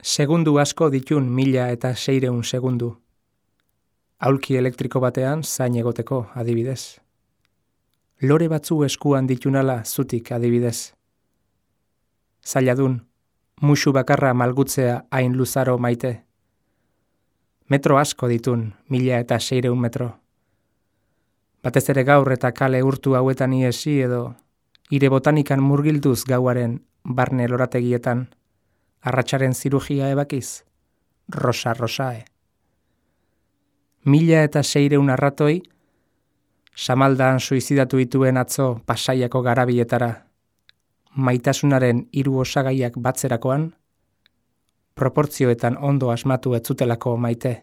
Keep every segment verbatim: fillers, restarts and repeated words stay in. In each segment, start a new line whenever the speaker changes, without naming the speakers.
Segundu asko ditun mila eta seireun segundu. Aulki elektriko batean zain egoteko adibidez. Lore batzu eskuan ditunala zutik adibidez. Zailadun, musu bakarra malgutzea hain luzaro maite. Metro asko ditun, mila eta seireun metro. Batez ere gaur eta kale urtu hauetan iesi edo, ire botanikan murgilduz gauaren barne lorategietan, arratsaren zirugia ebakiz, rosa rosae. Mila eta seireun arratoi, Samaldan suizidatu dituen atzo Pasaiako garabietara, maitasunaren hiru osagaiak batzerakoan, proportzioetan ondo asmatu ez zutelako maite.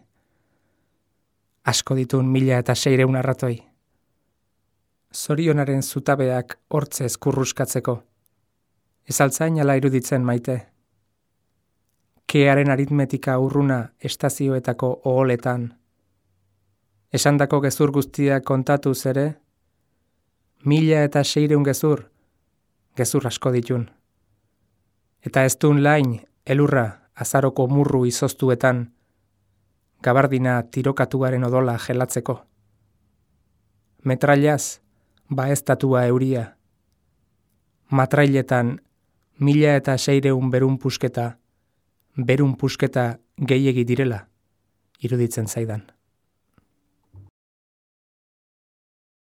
Asko ditun mila eta seireun arratoi. Zorionaren zutabeak hortze eskurruskatzeko. Ez altzain ala iruditzen maite. Kearen aritmetika urruna estazioetako oholetan. Esandako gezur guztiak kontatuz ere, mila eta seireun gezur, gezur asko ditun. Eta ez dun lain, elurra, azaroko murru izoztuetan, gabardina tirokatuaren odola gelatzeko. Metrailaz, baeztatua euria. Matrailetan, mila eta seireun berun pusketa, berun pusketa gehiegi direla, iruditzen zaidan.